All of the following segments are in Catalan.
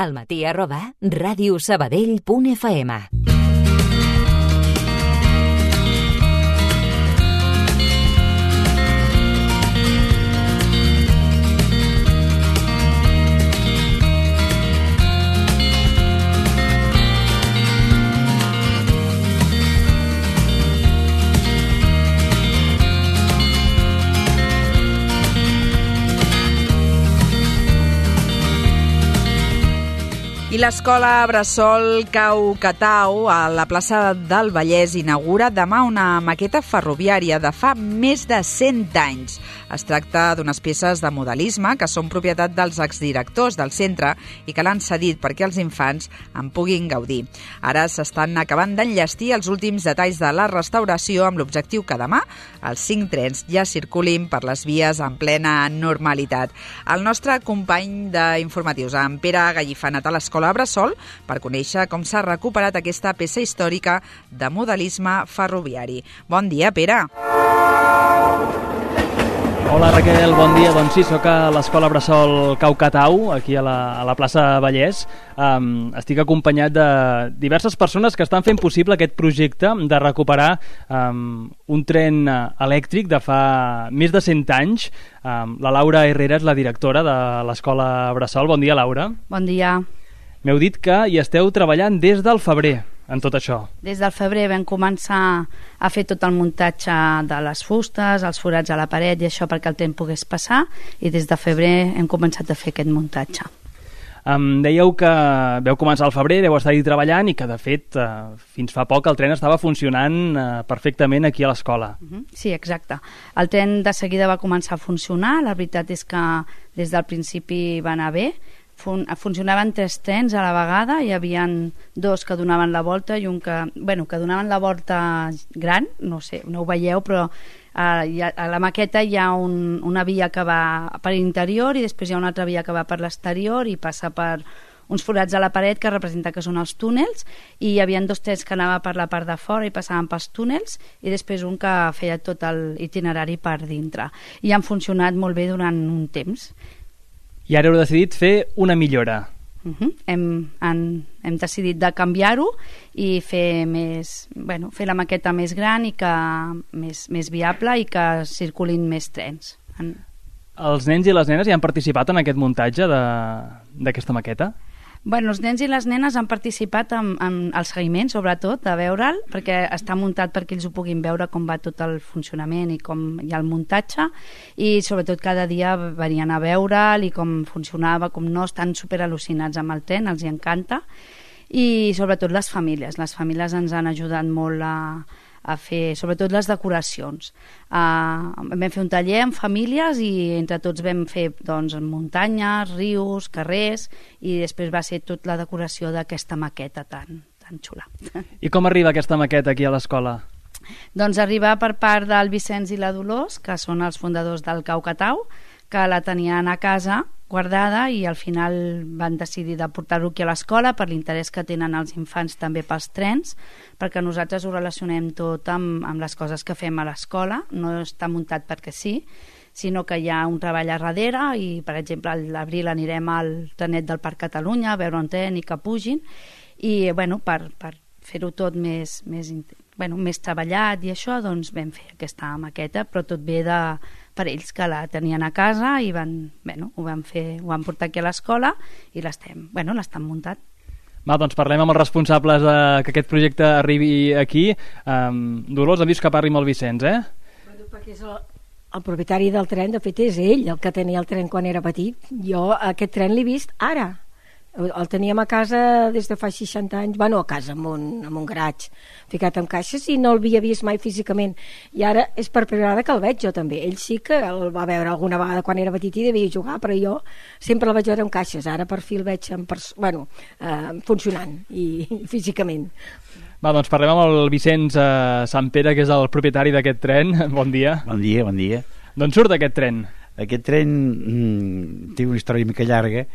almatí@radiosabadell.fm. I l'escola Bressol Cau Catau a la plaça del Vallès inaugura demà una maqueta ferroviària de fa més de 100 anys. Es tracta d'unes peces de modelisme que són propietat dels exdirectors del centre i que l'han cedit perquè els infants en puguin gaudir. Ara s'estan acabant d'enllestir els últims detalls de la restauració amb l'objectiu que demà els 5 trens ja circulin per les vies en plena normalitat. El nostre company d'informatius, en Pere Gallifà, ha anat a l'escola Bressol per conèixer com s'ha recuperat aquesta peça històrica de modelisme ferroviari. Bon dia, Pere. Hola, Raquel, bon dia. Doncs sí, soc a l'escola Bressol Cau Catau, aquí a la plaça Vallès. Estic acompanyat de diverses persones que estan fent possible aquest projecte de recuperar un tren elèctric de fa més de 100 anys. La Laura Herrera és la directora de l'escola Bressol. Bon dia, Laura. Bon dia. M'heu dit que hi esteu treballant des del febrer en tot això. Des del febrer vam començar a fer tot el muntatge de les fustes, els forats a la paret i això perquè el tren pogués passar, i des de febrer hem començat a fer aquest muntatge. Dèieu que veu començar al febrer, deu estar-hi treballant i que de fet fins fa poc el tren estava funcionant perfectament aquí a l'escola. Sí, exacte. El tren de seguida va començar a funcionar. La veritat és que des del principi va anar bé. Funcionaven 3 trens a la vegada, hi havia 2 que donaven la volta i un que donaven la volta gran, no sé, no ho veieu, però a la maqueta hi ha una via que va per l'interior i després hi ha una altra via que va per l'exterior i passa per uns forats a la paret que representa que són els túnels, i hi havia 2 trens que anaven per la part de fora i passaven pels túnels, i després un que feia tot l'itinerari per dintre, i han funcionat molt bé durant un temps. I ara heu decidit fer una millora. Hem decidit de canviar-ho i fer la maqueta més gran i que més viable i que circulin més trens. Els nens i les nenes hi han participat en aquest muntatge d'aquesta maqueta? Els nens i les nenes han participat en el seguiment, sobretot, de veure'l, perquè està muntat perquè ells ho puguin veure com va tot el funcionament i com hi ha el muntatge, i sobretot cada dia venien a veure'l i com funcionava, com no, estan superal·lucinats amb el tren, els hi encanta, i sobretot les famílies ens han ajudat molt a fer, sobretot les decoracions. Vam fer un taller amb famílies i entre tots vam fer muntanyes, rius, carrers, i després va ser tota la decoració d'aquesta maqueta tan xula. I com arriba aquesta maqueta aquí a l'escola? Doncs arriba per part del Vicenç i la Dolors, que són els fundadors del Cau Catau, que la tenien a casa guardada i al final van decidir de portar-ho aquí a l'escola per l'interès que tenen els infants també pels trens, perquè nosaltres ho relacionem tot amb les coses que fem a l'escola, no està muntat perquè sí, sinó que hi ha un treball a darrere i, per exemple, a l'abril anirem al trenet del Parc Catalunya a veure un tren i que pugin, i per fer-ho tot més treballat i això, doncs vam fer aquesta maqueta, però tot ve per ells que la tenien a casa i ho van portar aquí a l'escola i l'estan muntat. Doncs parlem amb els responsables que aquest projecte arribi aquí. Dolors, ha vist que parli amb el Vicenç, Perquè és el propietari del tren, de fet és ell el que tenia el tren quan era petit. Jo aquest tren l'he vist ara. El teníem a casa des de fa 60 anys, a casa, amb un garatge, ficat en caixes, i no l'havia vist mai físicament. I ara és per primera vegada que el veig jo també. Ell sí que el va veure alguna vegada quan era petit i devia jugar, però jo sempre el vaig veure en caixes. Ara per fi el veig funcionant i físicament. Doncs parlem amb el Vicenç Sant Pere, que és el propietari d'aquest tren. Bon dia. Bon dia, bon dia. D'on surt aquest tren? Aquest tren té una història mica llarga,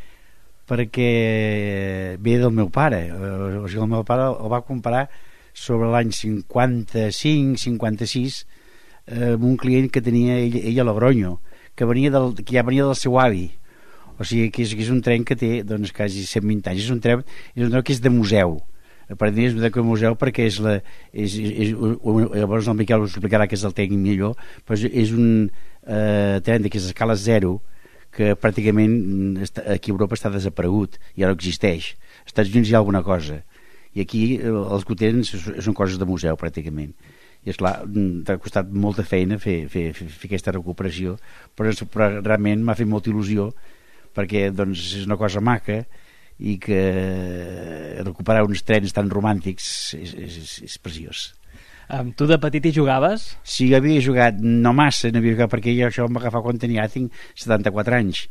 perquè ve del meu pare. O sigui, el meu pare el va comprar sobre l'any 55-56 amb un client que tenia ell a Logronyo, que ja venia del seu avi. O sigui, que és un tren que té doncs, quasi 120 anys. És un tren que és de museu. Aparentment és de museu perquè llavors el Miquel us explicarà que és el tècnic millor, però és un tren d'aquesta escala 0 que pràcticament aquí a Europa està desaparegut, ja no existeix. Als Estats Units hi ha alguna cosa, i aquí els que tenen són coses de museu pràcticament. I esclar, t'ha costat molta feina fer aquesta recuperació, però realment m'ha fet molta il·lusió perquè doncs, és una cosa maca, i que recuperar uns trens tan romàntics és preciós. Tu de petit hi jugaves? Sí, jo havia jugat, no massa, no havia jugat, perquè jo això em va agafar quan tinc 74 anys.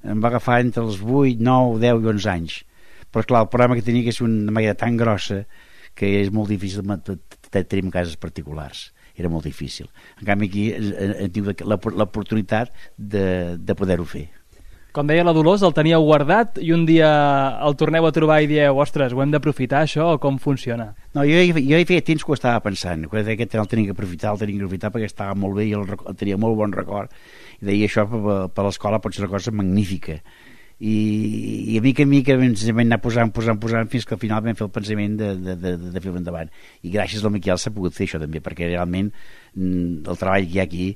Em va agafar entre els 8, 9, 10 i 11 anys. Però clar, el problema que tenia que és una màquina tan grossa que és molt difícil tenir en cases particulars. Era molt difícil. En canvi aquí hem tingut l'oportunitat de poder-ho fer. Com deia la Dolors, el teníeu guardat i un dia el torneu a trobar i dieu, ostres, ho hem d'aprofitar això, o com funciona? No, jo hi feia temps que ho estava pensant, que aquest el tenia que aprofitar perquè estava molt bé i el tenia molt bon record, i deia això per l'escola pot ser una cosa magnífica. I a mica ens vam anar posant fins que al final vam fer el pensament de fer-ho endavant. I gràcies al Miquel s'ha pogut fer això també, perquè realment el treball que hi ha aquí,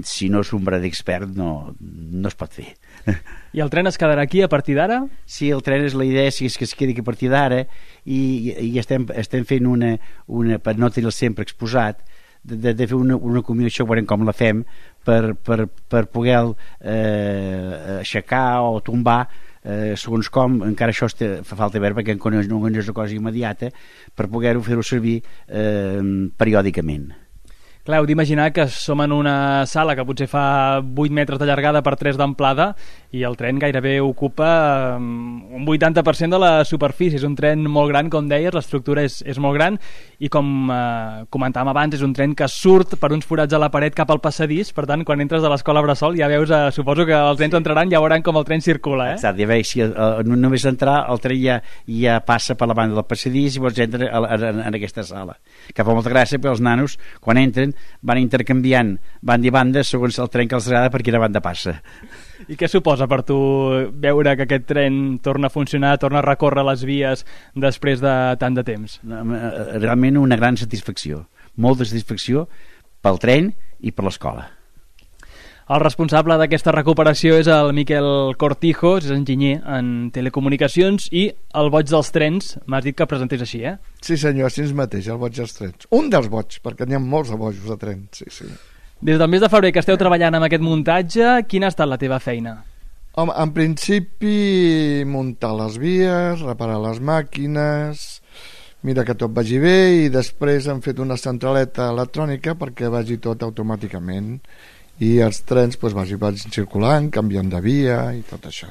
si no és ombra d'expert no es pot fer. I el tren es quedarà aquí a partir d'ara? Sí, el tren és la idea, és que es quedi aquí a partir d'ara, i estem fent una per no tenir-lo sempre exposat, de fer una combinació, veurem com la fem, per poder aixecar o tombar segons com, encara això fa falta veure perquè no és una cosa immediata, per poder-ho fer-ho servir periòdicament. Clar, heu d'imaginar que som en una sala que potser fa 8 metres de llargada per 3 d'amplada i el tren gairebé ocupa un 80% de la superfície. És un tren molt gran, com deies, l'estructura és molt gran i com comentàvem abans, és un tren que surt per uns forats a la paret cap al passadís, per tant, quan entres a l'escola Bressol ja veus, suposo que els nens entraran i ja veuran com el tren circula, eh? Exacte, ja veus, si només entrar, el tren ja passa per la banda del passadís i vols entrar en aquesta sala. Que fa molta gràcia perquè els nanos, quan entren, van intercanviant banda i banda segons el tren que els agrada per quina banda passa. I què suposa per tu veure que aquest tren torna a funcionar, torna a recórrer les vies després de tant de temps? Realment una gran satisfacció, molta satisfacció pel tren i per l'escola. El responsable d'aquesta recuperació és el Miquel Cortijo, és enginyer en telecomunicacions i el boig dels trens, m'has dit que presentés així, eh? Sí senyor, així mateix, el boig dels trens. Un dels boigs, perquè n'hi ha molts de bojos de trens, sí. Des del mes de febrer que esteu treballant amb aquest muntatge, quina ha estat la teva feina? Home, en principi muntar les vies, reparar les màquines, mira que tot vagi bé, i després hem fet una centraleta electrònica perquè vagi tot automàticament i els trens vagin circulant, canviant de via i tot això.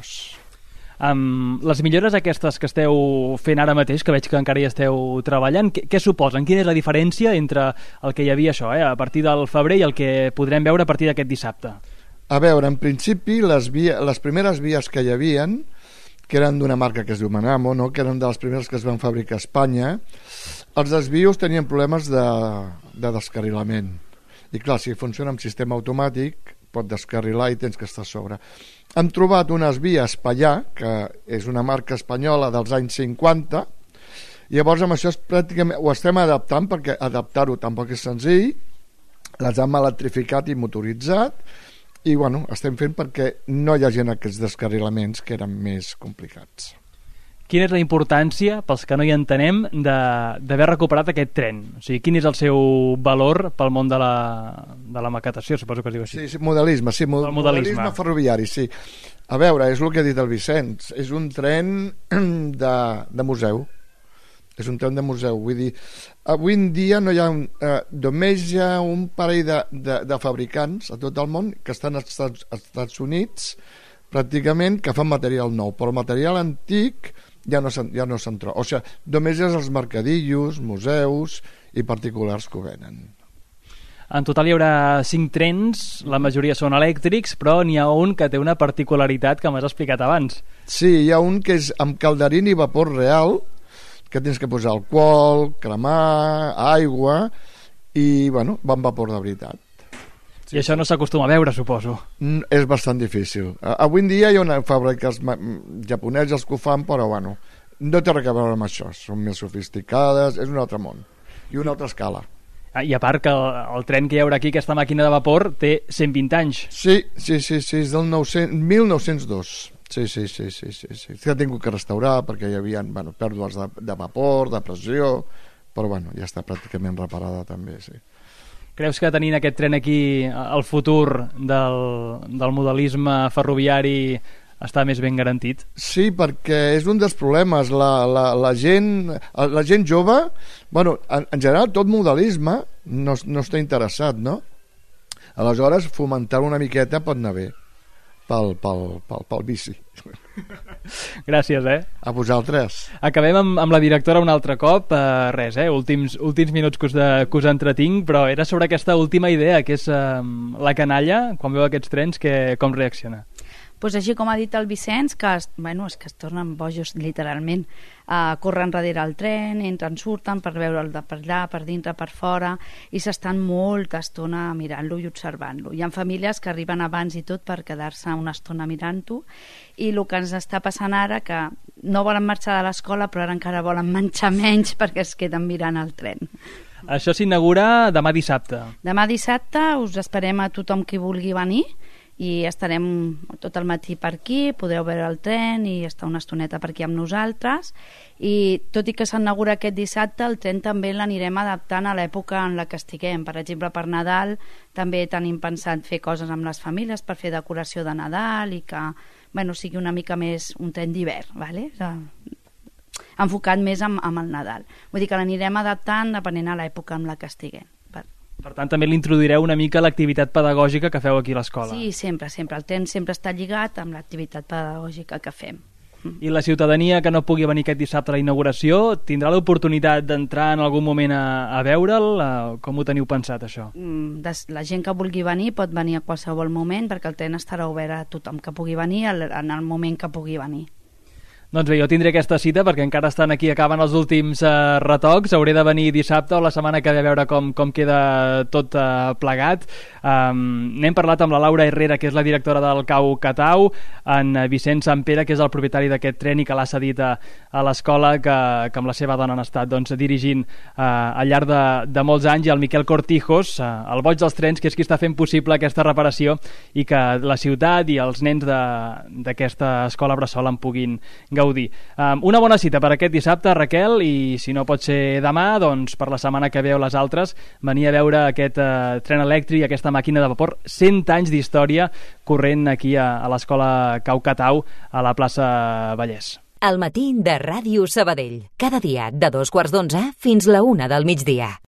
Les millores aquestes que esteu fent ara mateix, que veig que encara hi esteu treballant, què suposen? Quina és la diferència entre el que hi havia això, a partir del febrer i el que podrem veure a partir d'aquest dissabte? A veure, en principi les primeres vies que hi havien, que eren d'una marca que es diu Manamo, no? Que eren de les primeres que es van fabricar a Espanya, els desvios tenien problemes de descarrilament. I clar, si funciona amb sistema automàtic pot descarrilar i tens que estar a sobre. Hem trobat unes vies Pallà, que és una marca espanyola dels anys 50, i llavors amb això pràcticament ho estem adaptant, perquè adaptar-ho tampoc és senzill, les hem electrificat i motoritzat, i bueno, estem fent perquè no hi hagi aquests descarrilaments que eren més complicats. Quina és la importància, pels que no hi entenem, d'haver recuperat aquest tren? O sigui, quin és el seu valor pel món de la maquetació, suposo que es diu així? Sí, modelisme, sí, modelisme ferroviari, sí. A veure, és el que ha dit el Vicenç, és un tren de museu. És un tren de museu, vull dir, avui en dia no hi ha només hi ha un parell de fabricants a tot el món que estan als Estats Units pràcticament que fan material nou, però el material antic ja no se'n troba. O sigui, només és els mercadillos, museus i particulars que ho venen. En total hi haurà 5 trens, la majoria són elèctrics, però n'hi ha un que té una particularitat que m'has explicat abans. Sí, hi ha un que és amb calderín i vapor real, que tens que posar alcohol, cremar, aigua i, bueno, va amb vapor de veritat. Sí, I això no s'acostuma a veure, suposo. És bastant difícil. Avui en dia hi ha una fàbriques japoneses que ho fan, però bueno, no té res a veure amb això. Són més sofisticades, és un altre món i una altra escala. I a part que el tren que hi haurà aquí, aquesta màquina de vapor, té 120 anys. Sí, és del 1902. Sí. S'ha tingut que restaurar perquè hi havia pèrdues de vapor, de pressió, però bueno, ja està pràcticament reparada també, sí. Creus que tenint aquest tren aquí el futur del modelisme ferroviari està més ben garantit? Sí, perquè és un dels problemes. La gent jove, bueno, en general tot modelisme no està interessat, no? Aleshores, fomentar una miqueta pot anar bé pel bici. Gràcies, A vosaltres. Acabem amb la directora un altre cop. Res, últims minuts que us entretinc, però era sobre aquesta última idea, que és la canalla, quan veu aquests trens, com reacciona? Pues així com ha dit el Vicenç, que és que es tornen bojos literalment, corren darrere el tren, entren, surten per veure'l de per allà, per dintre, per fora, i s'estan molta estona mirant-lo i observant-lo. Hi ha famílies que arriben abans i tot per quedar-se una estona mirant-ho, i el que ens està passant ara, que no volen marxar de l'escola, però ara encara volen menjar menys perquè es queden mirant el tren. Això s'inaugura demà dissabte. Demà dissabte us esperem a tothom qui vulgui venir, i estarem tot el matí per aquí, podreu veure el tren i estar una estoneta per aquí amb nosaltres, i tot i que s'inaugura aquest dissabte, el tren també l'anirem adaptant a l'època en la que estiguem. Per exemple, per Nadal també tenim pensat fer coses amb les famílies per fer decoració de Nadal i que sigui una mica més un tren d'hivern, ¿vale? Enfocat més amb el Nadal. Vull dir que l'anirem adaptant depenent a l'època en la que estiguem. Per tant, també l'introduireu una mica a l'activitat pedagògica que feu aquí a l'escola. Sí, sempre. El tren sempre està lligat amb l'activitat pedagògica que fem. I la ciutadania que no pugui venir aquest dissabte a la inauguració tindrà l'oportunitat d'entrar en algun moment a veure'l? Com ho teniu pensat, això? La gent que vulgui venir pot venir a qualsevol moment, perquè el tren estarà obert a tothom que pugui venir en el moment que pugui venir. Doncs bé, jo tindré aquesta cita perquè encara estan aquí, acaben els últims retocs. Hauré de venir dissabte o la setmana que ve a veure com queda tot plegat. N'hem parlat amb la Laura Herrera, que és la directora del Cau Catau, en Vicenç Sampere, que és el propietari d'aquest tren i que l'ha cedit a l'escola, que amb la seva dona han estat dirigint al llarg de molts anys, i el Miquel Cortijos, el boig dels trens, que és qui està fent possible aquesta reparació i que la ciutat i els nens d'aquesta escola bressol en puguin gaudir. Una bona cita per aquest dissabte, Raquel, i si no pot ser demà, doncs per la setmana que ve o les altres, venir a veure aquest tren elèctric, aquesta màquina de vapor, 100 anys d'història corrent aquí a l'escola Cau Catau, a la plaça Vallès. El matí de Ràdio Sabadell. Cada dia de 2:15 fins la 1 del migdia.